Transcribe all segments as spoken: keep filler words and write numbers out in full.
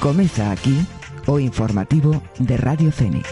Comeza aquí o informativo de Radio Fene.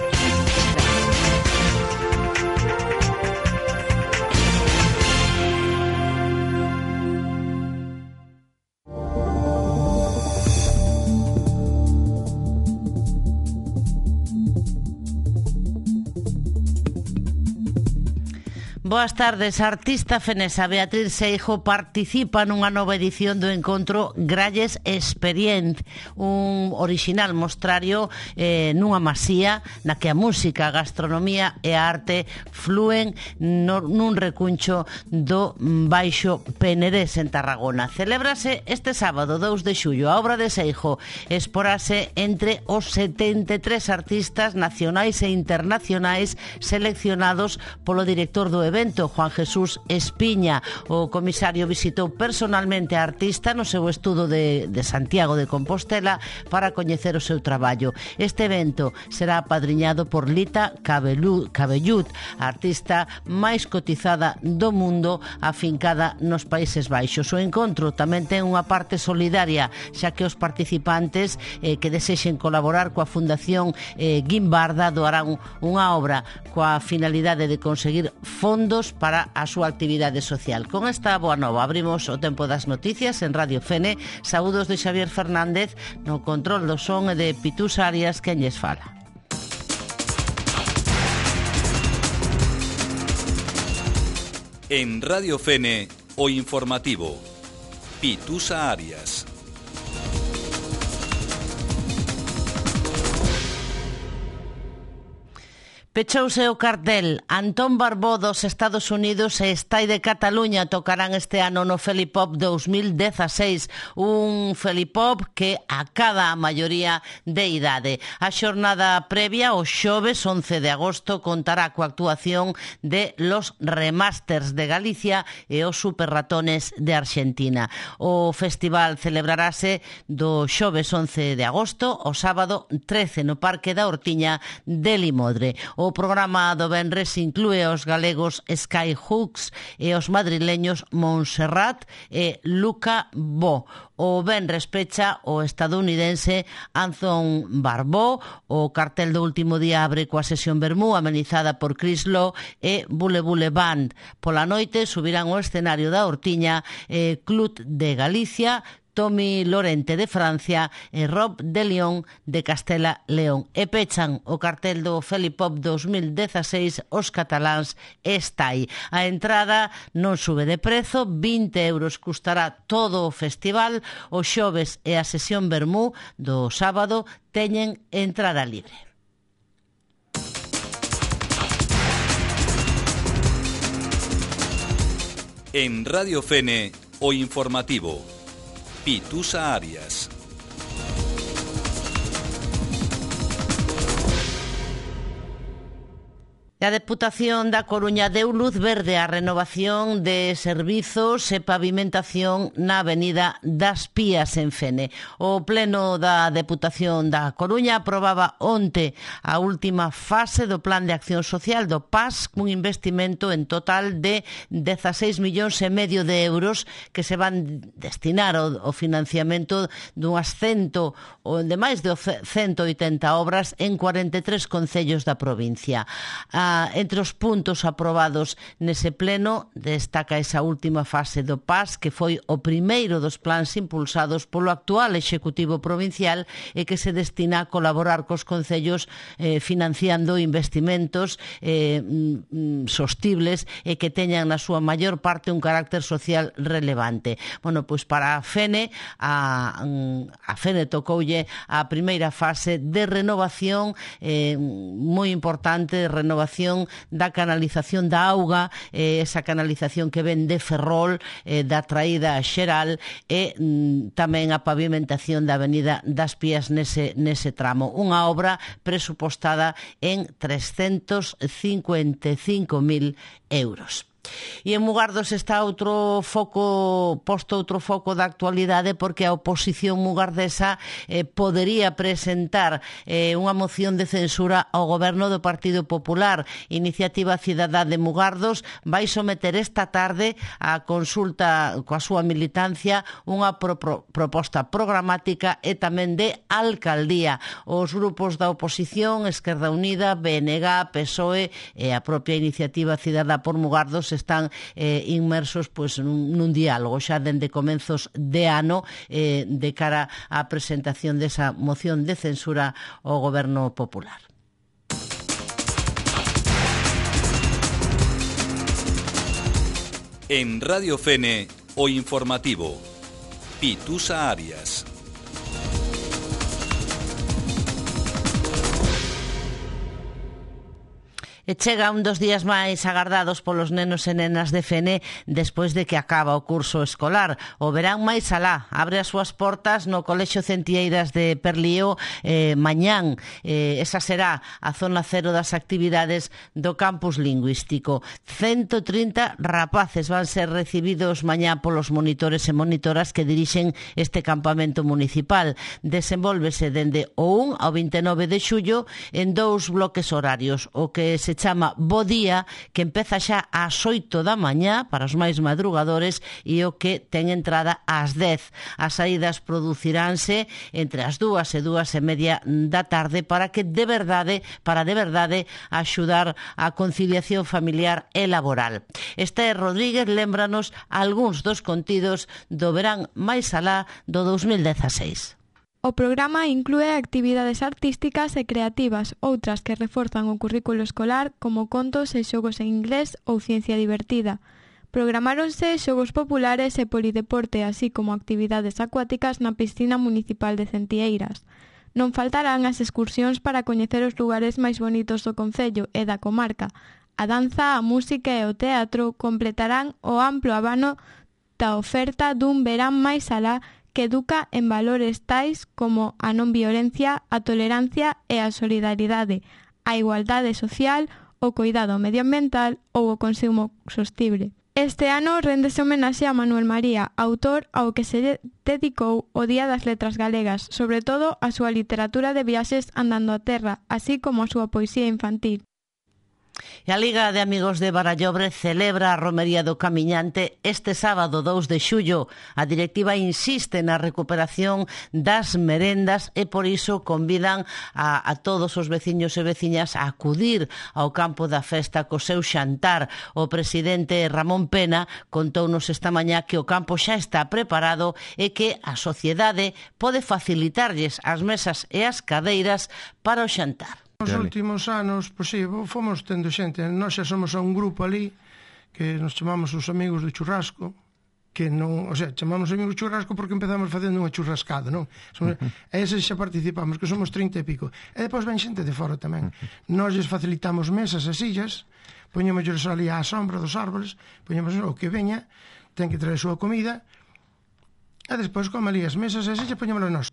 Boas tardes. A artista fenesa Beatriz Seijo participa nunha nova edición do encontro Gralles Experient, un orixinal mostrario eh, nunha masía na que a música, a gastronomía e a arte flúen no, nun recuncho do Baixo Penedés en Tarragona. Celébrase este sábado dous de xullo. A obra de Seijo exporase entre os setenta e tres artistas nacionais e internacionais seleccionados polo director do evento, Juan Jesús Espiña. O comisario visitou personalmente a artista no seu estudo de, de Santiago de Compostela para coñecer o seu traballo. Este evento será apadriñado por Lita Cabellud, a artista máis cotizada do mundo, afincada nos Países Baixos. O encontro tamén ten unha parte solidaria, xa que os participantes eh, que desexen colaborar coa Fundación eh, Guimbarda doarán unha obra coa finalidade de conseguir fondos para a súa actividade social. Con esta boa nova abrimos o tempo das noticias en Radio Fene. Saúdos de Xavier Fernández no control do son e de Pitús Arias, quen lles fala. En Radio Fene, o informativo. Pitús Arias. Pechouse o cartel. Antón Barbó dos Estados Unidos e Estai de Cataluña tocarán este ano no Felipop dos mil dezaseis, un Felipop que acada a maioría de idade. A xornada previa, o xoves once de agosto, contará coa actuación de Los Remasters de Galicia e os Superratones de Argentina. O festival celebrarase do xoves once de agosto ao sábado trece no Parque da Hortiña de Limodre. O programa do venres inclúe os galegos Skyhooks e os madrileños Montserrat e Luca Bo. O venres pecha o estadounidense Anton Barbó. O cartel do último día abre coa sesión vermú amenizada por Chris Lowe e Bule Bule Band. Pola noite subirán ao escenario da Hortiña eh, Clut de Galicia, Tommy Lorente de Francia e Rob de León de Castela León. E pechan o cartel do Felipop dos mil dezaseis os cataláns Estai. A entrada non sube de prezo, vinte euros custará todo o festival. O xoves e a sesión vermú do sábado teñen entrada libre. En Radio Fene, o informativo. Pitús Arias. A Deputación da Coruña deu luz verde á renovación de servizos e pavimentación na Avenida das Pías en Fene. O Pleno da Deputación da Coruña aprobaba onte a última fase do Plan de Acción Social do P A S, cun investimento en total de dezaseis millóns e medio de euros que se van destinar ao, ao financiamento dunhas cento ou de máis de cento oitenta obras en cuarenta e tres concellos da provincia. A Entre os puntos aprobados nese pleno destaca esa última fase do P A S, que foi o primeiro dos plans impulsados polo actual Executivo Provincial e que se destina a colaborar cos concellos eh, financiando investimentos eh, mm, sostibles e que teñan na súa maior parte un carácter social relevante. Bueno, pois para a Fene, a, a Fene tocoulle a primeira fase de renovación eh, moi importante, de renovación da canalización da auga, eh, esa canalización que ven de Ferrol, eh, da traída xeral e mm, tamén a pavimentación da Avenida das Pías nese, nese tramo. Unha obra presupostada en trescentos cincuenta e cinco mil euros. E en Mugardos está outro foco, posto outro foco da actualidade, porque a oposición mugardesa eh, podería presentar eh, unha moción de censura ao goberno do Partido Popular. Iniciativa Cidadá de Mugardos vai someter esta tarde a consulta coa súa militancia unha pro, pro, proposta programática e tamén de alcaldía. Os grupos da oposición, Esquerda Unida, B N G, P S O E e a propia Iniciativa Cidadá por Mugardos están eh, inmersos pois, nun, nun diálogo xa dende comenzos de ano eh, de cara á presentación desa moción de censura ao goberno popular. En Radio Fene, o informativo. Pitusa Arias. E chega un dos días máis agardados polos nenos e nenas de Fene despois de que acaba o curso escolar. O verán máis alá abre as súas portas no Colexio Centieiras de Perlío eh, mañán. Eh, esa será a zona cero das actividades do campus lingüístico. ciento trinta rapaces van ser recibidos mañá polos monitores e monitoras que dirixen este campamento municipal. Desenvólvese dende o un ao vinte e nove de xullo en dous bloques horarios, o que se chama Bo Día, que empeza xa ás oito da mañá para os máis madrugadores e o que ten entrada ás dez. As saídas produciránse entre as dúas e dúas e media da tarde para que de verdade, para de verdade axudar a conciliación familiar e laboral. Esther Rodríguez lémbranos algúns dos contidos do verán máis alá do dos mil dezaseis. O programa inclúe actividades artísticas e creativas, outras que reforzan o currículo escolar, como contos e xogos en inglés ou ciencia divertida. Programáronse xogos populares e polideporte, así como actividades acuáticas na piscina municipal de Centieiras. Non faltarán as excursións para coñecer os lugares máis bonitos do concello e da comarca. A danza, a música e o teatro completarán o amplo abano da oferta dun verán máis alá que educa en valores tais como a non violencia, a tolerancia e a solidaridade, a igualdade social, o cuidado medioambiental ou o consumo sostible. Este ano réndese homenaxe a Manuel María, autor ao que se dedicou o Día das Letras Galegas, sobre todo a súa literatura de viaxes andando a terra, así como a súa poesía infantil. E a Liga de Amigos de Barallobre celebra a Romería do Camiñante este sábado dous de xullo. A directiva insiste na recuperación das merendas e por iso convidan a, a todos os veciños e veciñas a acudir ao campo da festa co seu xantar. O presidente Ramón Pena contounos esta mañá que o campo xa está preparado e que a sociedade pode facilitarlles as mesas e as cadeiras para o xantar. Nos últimos anos, pois sí, fomos tendo xente, nós xa somos a un grupo ali que nos chamamos os amigos do churrasco, que non, o sea, chamamos amigos do churrasco porque empezamos facendo unha churrascada, non? Somos, uh-huh. E eses xa participamos, que somos trinta e pico. E depois ven xente de fora tamén. Uh-huh. Nós lles facilitamos mesas e sillas, poñémosles ali á sombra dos árboles, poñemos o que veña, ten que traer a súa comida, e despois como ali as mesas e sillas poñémoslas nós.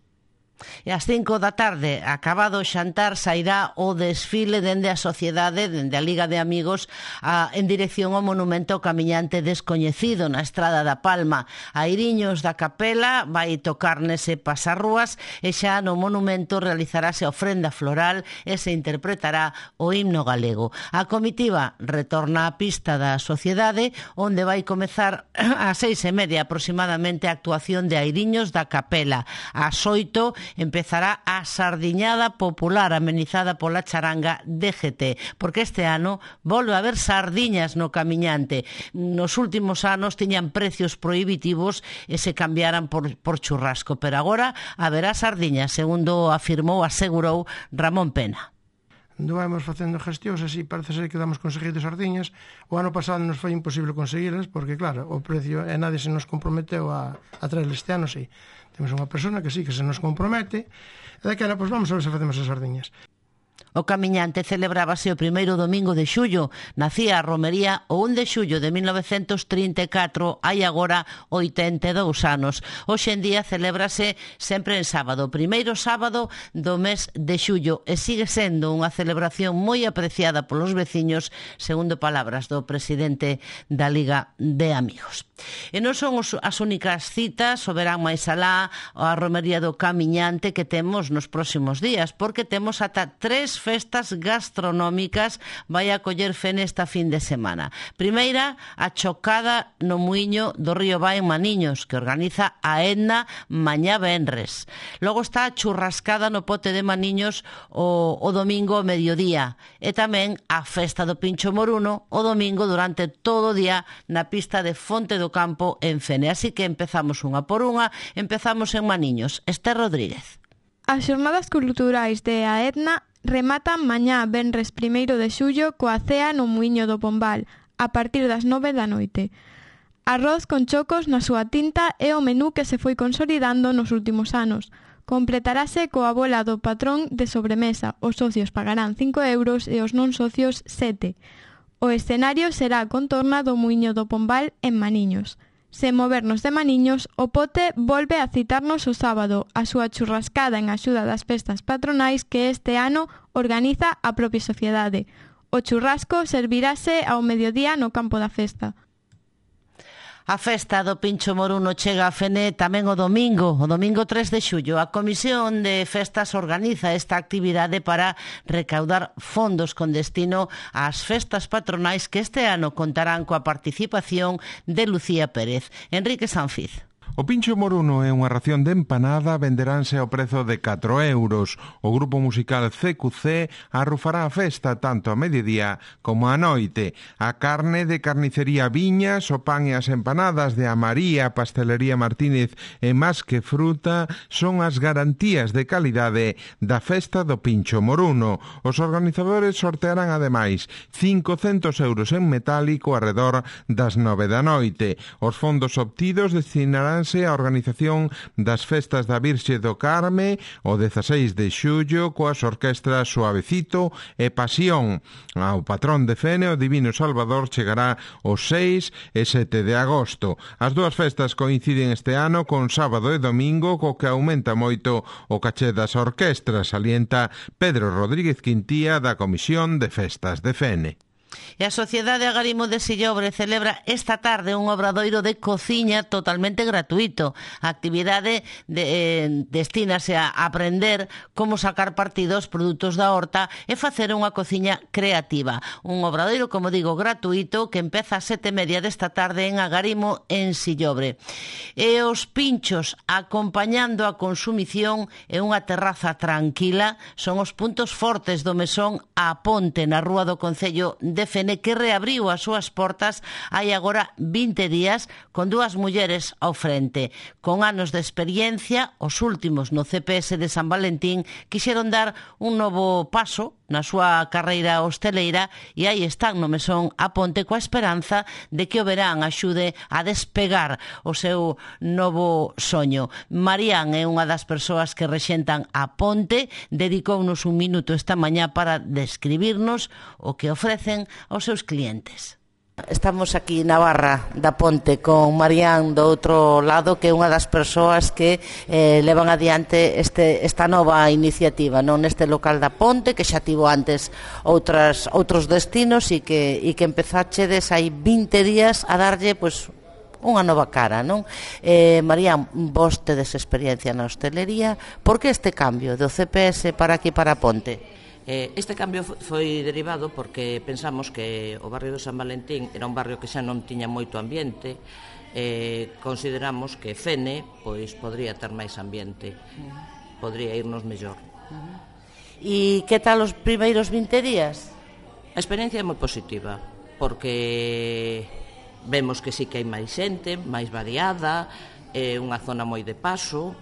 E ás cinco da tarde, acabado o xantar, sairá o desfile dende a sociedade, dende a Liga de Amigos, a, en dirección ao monumento ao camiñante descoñecido na Estrada da Palma. A Iriños da Capela vai tocar nese pasarrúas e xa no monumento realizarase a ofrenda floral e se interpretará o himno galego. A comitiva retorna á pista da sociedade, onde vai comezar ás seis e media aproximadamente a actuación de Airiños da Capela. Ás oito empezará a sardiñada popular amenizada pola charanga D G T, porque este ano volve a haber sardiñas no camiñante. Nos últimos anos tiñan precios prohibitivos e se cambiaran por, por churrasco, pero agora haberá sardiñas, segundo afirmou, asegurou Ramón Pena. Anduvamos facendo gestións, así parece ser que damos conseguido sardiñas. O ano pasado nos foi imposible conseguirlas, porque claro, o precio e nadie se nos comprometeu a, a traer este ano, sí. Temos unha persona que sí, que se nos compromete, e daquela, pois vamos a ver se facemos as sardiñas. O camiñante celebrábase o primeiro domingo de xullo. Nacía a romería o un de xullo de mil novecentos trinta e catro, hai agora oitenta e dous anos. Hoxe en día celébrase sempre en sábado, o primeiro sábado do mes de xullo, e sigue sendo unha celebración moi apreciada polos veciños, segundo palabras do presidente da Liga de Amigos. E non son os, as únicas citas, o verán máis alá, a romería do camiñante que temos nos próximos días, porque temos ata tres festas gastronómicas vai a coller Fene esta fin de semana. Primeira, a chocada no muiño do Río Vai en Maniños, que organiza a Edna mañá venres. Logo está a churrascada no pote de Maniños o, o domingo ao mediodía. E tamén a festa do Pincho Moruno o domingo durante todo o día na pista de Fonte do Campo en Fene. Así que empezamos unha por unha, empezamos en Maniños. Esther Rodríguez. As xornadas culturais de a Edna rematan mañá venres primeiro de xullo coa cea no Muiño do Pombal, a partir das nove da noite. Arroz con chocos na súa tinta é o menú que se foi consolidando nos últimos anos. Completarase coa bola do patrón de sobremesa. Os socios pagarán cinco euros e os non socios sete. O escenario será a contorna do Muiño do Pombal en Maniños. Sen movernos de Maniños, o pote volve a citarnos o sábado a súa churrascada en axuda das festas patronais que este ano organiza a propia sociedade. O churrasco servirase ao mediodía no campo da festa. A festa do Pincho Moruno chega a Fene tamén o domingo, o domingo tres de xullo. A Comisión de Festas organiza esta actividade para recaudar fondos con destino ás festas patronais que este ano contarán coa participación de Lucía Pérez. Enrique Sanfiz. O Pincho Moruno é unha ración de empanada, venderánse ao prezo de catro euros. O grupo musical C Q C arrufará a festa tanto a mediodía como a noite. A carne de carnicería Viñas, o pan e as empanadas de a María, Pastelería Martínez e Más que Fruta son as garantías de calidade da festa do Pincho Moruno. Os organizadores sortearán ademais cincocentos euros en metálico arredor das nove da noite. Os fondos obtidos destinarán a organización das festas da Virxe do Carme o dezaseis de xullo coas orquestras Suavecito e Pasión. Ao patrón de Fene, o Divino Salvador, chegará os seis e sete de agosto. As dúas festas coinciden este ano con sábado e domingo, co que aumenta moito o caché das orquestras, salienta Pedro Rodríguez Quintía da Comisión de Festas de Fene. E a Sociedade Agarimo de Sillobre celebra esta tarde un obradoiro de cociña totalmente gratuito. A actividade de, eh, destínase a aprender como sacar partido aos produtos da horta e facer unha cociña creativa. Un obradoiro, como digo, gratuito que empeza a sete e media desta tarde en Agarimo en Sillobre. E os pinchos acompañando a consumición e unha terraza tranquila son os puntos fortes do mesón A Ponte na Rúa do Concello de Fene, que reabriu as súas portas hai agora vinte días con dúas mulleres ao frente. Con anos de experiencia, os últimos no C P S de San Valentín quixeron dar un novo paso na súa carreira hosteleira e aí están no mesón A Ponte coa esperanza de que o verán axude a despegar o seu novo soño. Marían é unha das persoas que rexentan A Ponte, dedicounos un minuto esta mañá para describirnos o que ofrecen aos seus clientes. Estamos aquí na barra da Ponte con Marían do outro lado, que é unha das persoas que eh, levan adiante este, esta nova iniciativa, non, neste local da Ponte, que xa tivo antes outras, outros destinos e que, e que empezachedes hai vinte días a darlle, pois, unha nova cara, non? Eh, Marían, vos tedes experiencia na hostelería, por que este cambio do C P S para aquí, para a Ponte? Este cambio foi derivado porque pensamos que o barrio de San Valentín era un barrio que xa non tiña moito ambiente, e consideramos que Fene pois podría ter máis ambiente, podría irnos mellor. E que tal os primeiros vinte días? A experiencia é moi positiva, porque vemos que sí que hai máis xente, máis variada, é unha zona moi de paso,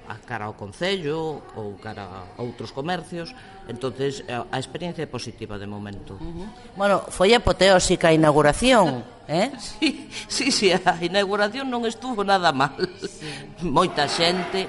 a cara ao Concello ou cara a outros comercios, entonces a experiencia é positiva de momento. Uh-huh. Bueno, foi apoteósica a inauguración, eh? Sí, sí, sí, a inauguración non estuvo nada mal. Sí. Moita xente,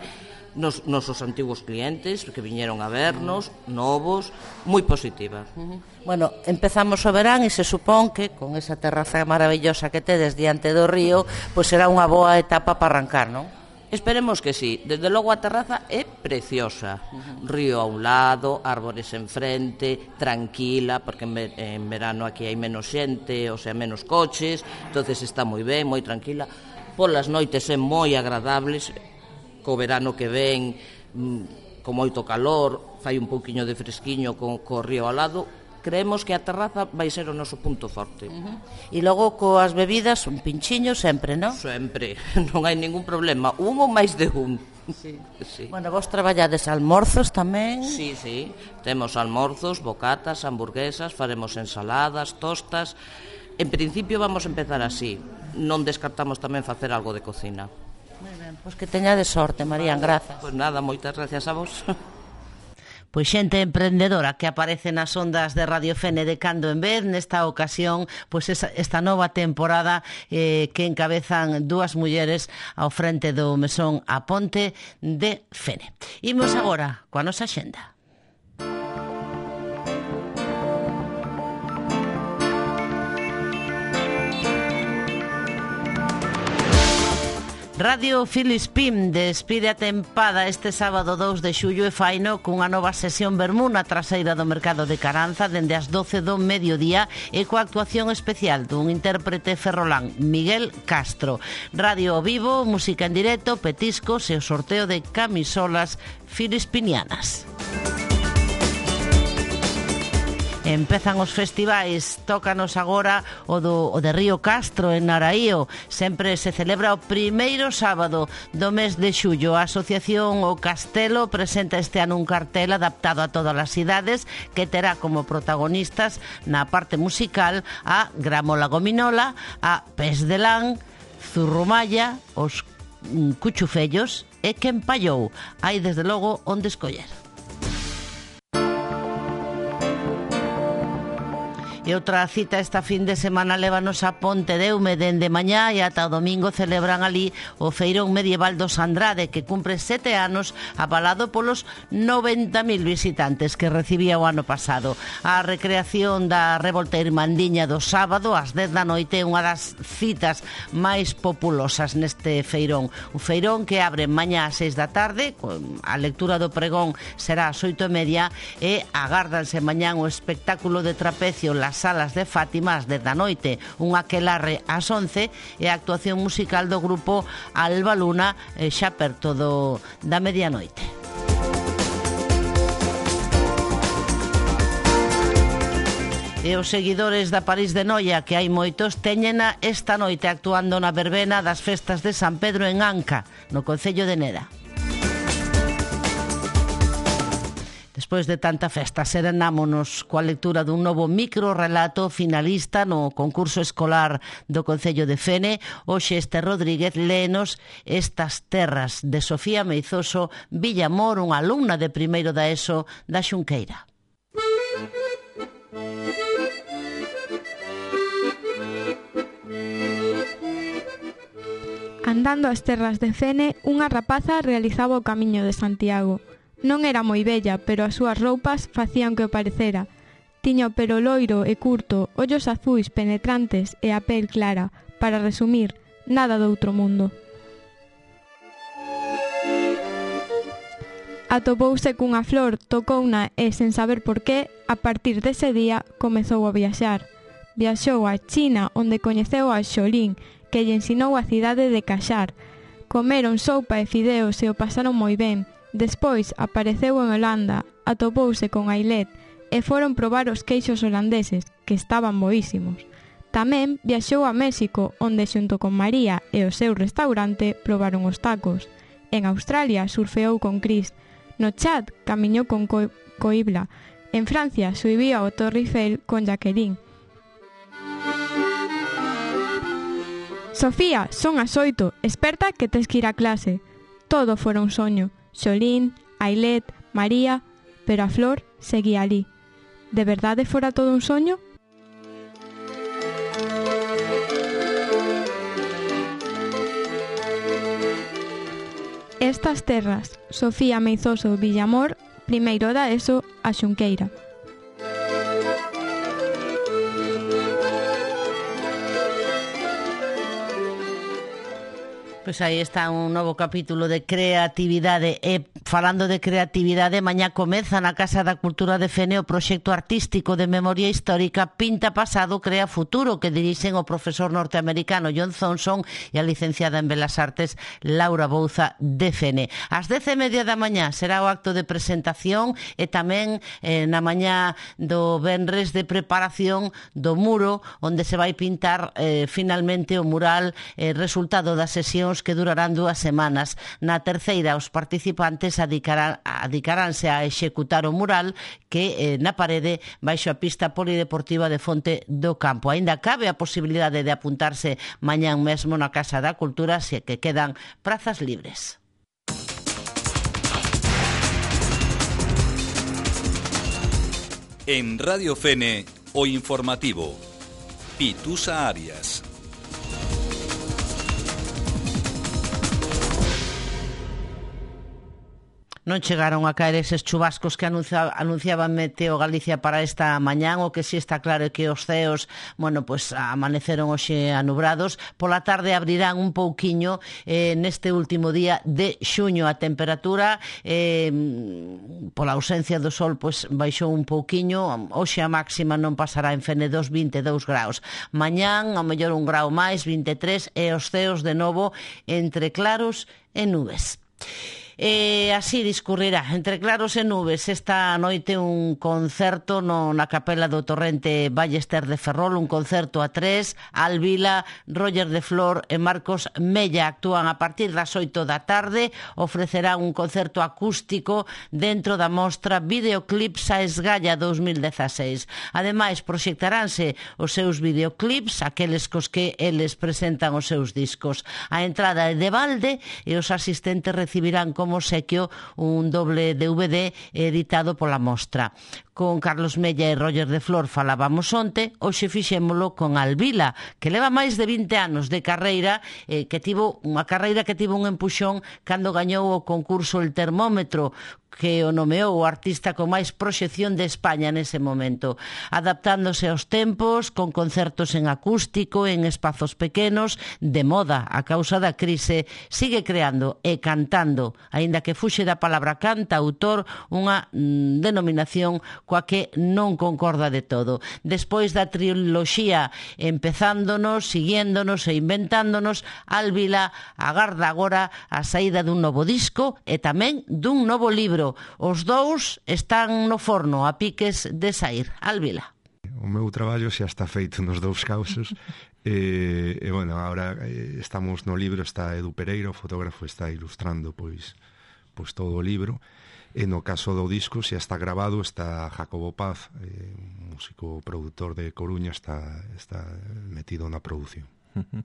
nos nosos antigos clientes que viñeron a vernos, novos, moi positiva. Uh-huh. Bueno, empezamos o verán e se supón que con esa terraza maravillosa que tedes diante do río, pois será unha boa etapa para arrancar, non? Esperemos que sí. Desde logo a terraza é preciosa. Uh-huh. Río a un lado, árbores enfrente, tranquila, porque en, ver- en verano aquí hai menos xente, o sea, menos coches, entonces está moi ben, moi tranquila. Polas noites é moi agradables, co verano que ven, con moito calor, fai un pouquiño de fresquiño co, co río ao lado. Creemos que a terraza vai ser o noso punto forte. Uh-huh. E logo coas bebidas, un pinchiño sempre, non? Sempre, non hai ningún problema, un ou máis de un. Sí. Sí. Bueno, vos traballades almorzos tamén? Sí, sí, temos almorzos, bocatas, hamburguesas, faremos ensaladas, tostas. En principio vamos a empezar así, non descartamos tamén facer algo de cocina. Moi ben, pois que teñades sorte, Marían, grazas. Pois nada, moitas gracias a vos. Pois xente emprendedora que aparece nas ondas de Radio Fene de cando en vez, nesta ocasión, pois esa, esta nova temporada eh, que encabezan dúas mulleres ao frente do mesón A Ponte de Fene. Imos agora coa nosa xenda. Radio Filispín despide a tempada este sábado dous de xullo e faino cunha nova sesión vermú na traseira do mercado de Caranza dende as doce do mediodía e coa actuación especial dun intérprete ferrolán, Miguel Castro. Radio ao vivo, música en directo, petiscos e o sorteo de camisolas filispinianas. Empezan os festivais, tócanos agora o, do, o de Río Castro en Naraío. Sempre se celebra o primeiro sábado do mes de xullo. A Asociación O Castelo presenta este ano un cartel adaptado a todas as idades que terá como protagonistas na parte musical a Gramola Gominola, a Pes de Lán, Zurrumalla, os Cuchufellos e Quen Pallou. Hai desde logo onde escoller. E outra cita esta fin de semana lévanos a Ponte de Eume dende mañá e ata o domingo celebran ali o Feirón Medieval dos Andrade que cumpre sete anos avalado polos noventa mil visitantes que recibía o ano pasado. A recreación da Revolta Irmandiña do sábado ás dez da noite é unha das citas máis populosas neste feirón. Un feirón que abre mañá ás seis da tarde, a lectura do pregón será ás oito e media e agárdanse mañá o espectáculo de trapecio Las Salas de Fátima ás dez da noite, un aquelarre ás once e a actuación musical do grupo Alba Luna xa perto do, da medianoite. E os seguidores da París de Noia, que hai moitos, teñena esta noite actuando na verbena das festas de San Pedro en Anca, no concello de Neda. Despois de tanta festa, serenámonos coa lectura dun novo microrelato finalista no concurso escolar do Concello de Fene. Hoxe este Rodríguez léenos Estas terras, de Sofía Meizoso Villamor, unha alumna de primeiro da ESO da Xunqueira. Andando as terras de Fene, unha rapaza realizaba o camiño de Santiago. Non era moi bella, pero as súas roupas facían que o parecera. Tiña o pelo loiro e curto, ollos azuis penetrantes e a pel clara. Para resumir, nada do outro mundo. Atopouse cunha flor, tocouna e, sen saber por qué, a partir dese día comezou a viaxar. Viaxou a China, onde coñeceu a Xolín, que lle ensinou a cidade de Caxar. Comeron sopa e fideos e o pasaron moi ben. Despois apareceu en Holanda, atopouse con Ailet e foron probar os queixos holandeses, que estaban boísimos. Tamén viaxou a México, onde xunto con María e o seu restaurante probaron os tacos. En Australia surfeou con Chris. No Chad camiñou con Co- Coibla. En Francia subiu ao Torre Eiffel con Jacqueline. Sofía, son as oito, esperta que tes que ir a clase. Todo fora un soño. Xolín, Ailet, María, pero a flor seguía ali. De verdade fora todo un soño? Estas terras, Sofía Meizoso Villamor, primeiro da ESO, a Xunqueira. Pois aí está un novo capítulo de creatividade. E falando de creatividade, mañá comeza na Casa da Cultura de Fene o proxecto artístico de memoria histórica Pinta Pasado, Crea Futuro, que dirixen o profesor norteamericano John Thompson e a licenciada en Belas Artes Laura Bouza de Fene. Ás dez e media da mañá será o acto de presentación e tamén eh, na mañá do venres de preparación do muro onde se vai pintar eh, finalmente o mural eh, resultado das sesións que durarán dúas semanas. Na terceira, os participantes adicarán, adicaránse a executar o mural que eh, na parede baixo a pista polideportiva de Fonte do Campo. Aínda cabe a posibilidade de apuntarse mañán mesmo na Casa da Cultura, se que quedan prazas libres. En Radio Fene, o informativo. Pitusa Arias. Non chegaron a caer eses chubascos que anuncia, anunciaba Meteo Galicia para esta mañán. O que si está claro é que os ceos, bueno, pues amaneceron hoxe anubrados. Pola tarde abrirán un pouquiño eh, neste último día de xuño. A temperatura eh, pola ausencia do sol pues baixou un pouquiño. Hoxe a máxima non pasará en Fene dos vinte e dous graus. Mañán ao mellor un grau máis, vinte e tres, e os ceos de novo entre claros e nubes. E así discurrirá entre claros e nubes esta noite un concerto no, na capela do Torrente Ballester de Ferrol, un concerto a tres. Alvila, Roger de Flor e Marcos Mella actúan a partir das oito da tarde. Ofrecerán un concerto acústico dentro da mostra Videoclips a Esgalla dos mil dezaseis. Ademais, proxectaránse os seus videoclips, aqueles cos que eles presentan os seus discos. A entrada é de balde e os asistentes recibirán como sequio un doble D V D editado pola mostra. Con Carlos Mella e Roger de Flor falábamos onte, hoxe fixémolo con Alvila, que leva máis de vinte anos de carreira, eh, que tivo unha carreira que tivo un empuxón cando gañou o concurso El Termómetro, que o nomeou o artista con máis proxección de España nese momento, adaptándose aos tempos, con concertos en acústico, en espazos pequenos, de moda a causa da crise, sigue creando e cantando, aínda que fuxe da palabra cantautor, unha mm, denominación coa que non concorda de todo. Despois da triloxía empezándonos, siguiéndonos e inventándonos, Alvila agarda agora a saída dun novo disco e tamén dun novo libro. Os dous están no forno a piques de sair. Alvila. O meu traballo xa está feito nos dous causos. e, e, bueno, agora estamos no libro, está Edu Pereira, o fotógrafo, está ilustrando pois, pois todo o libro. E no caso do disco xa está grabado, está Jacobo Paz, eh, un músico produtor de Coruña, está, está metido na produción. Uh-huh.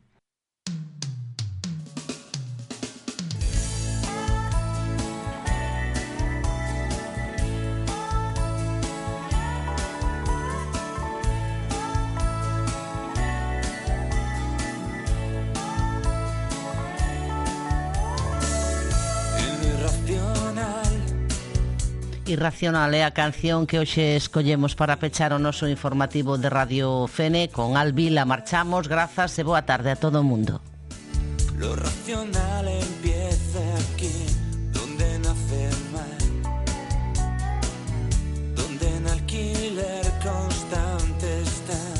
Irracional é a canción que hoxe escollemos para pechar o noso informativo de Radio Fene. Con Alvila marchamos, grazas e boa tarde a todo o mundo. Lo racional empieza aquí, donde nace el mal, donde en alquiler constante están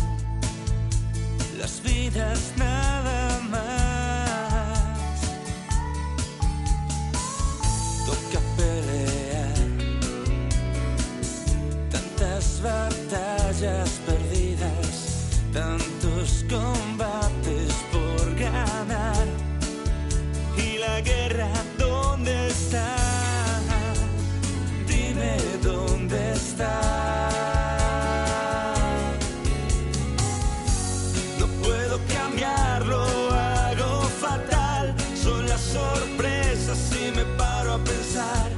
las vidas nada más. Toca pelear tantas batallas perdidas, tantos combates por ganar. Y la guerra, ¿dónde está? Dime dónde está. No puedo cambiarlo, hago fatal. Son las sorpresas y me paro a pensar.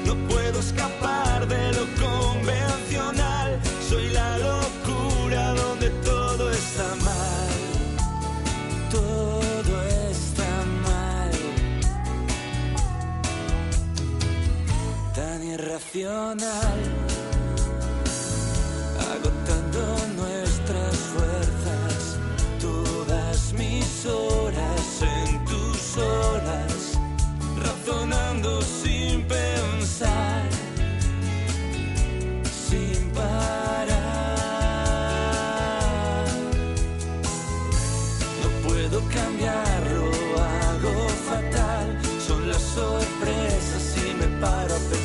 No puedo escapar de lo convencional. Soy la locura donde todo está mal. Todo está mal. irracional, agotando nuestras fuerzas, todas mis horas en tus horas, razonando sin pensar, sin parar. No puedo cambiarlo, hago fatal, son las sorpresas y me paro a pensar.